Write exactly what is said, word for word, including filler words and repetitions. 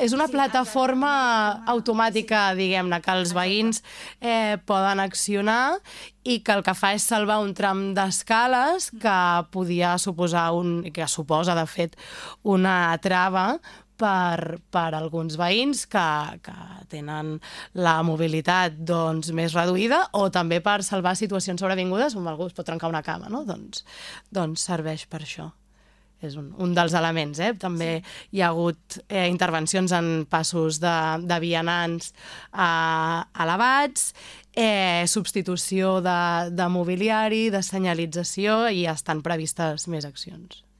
És una plataforma automàtica, diguem-ne, que els veïns eh, poden accionar i que el que fa és salvar un tram d'escales que podia suposar, un, que suposa, de fet, una trava per, per alguns veïns que, que tenen la mobilitat doncs, més reduïda o també per salvar situacions sobrevingudes on algú es pot trencar una cama, no? Doncs, doncs serveix per això. És un, un dels elements, eh? També sí. Hi ha hagut eh, intervencions en passos de, de vianants eh, elevats, eh, substitució de, de mobiliari, de senyalització i estan previstes més accions.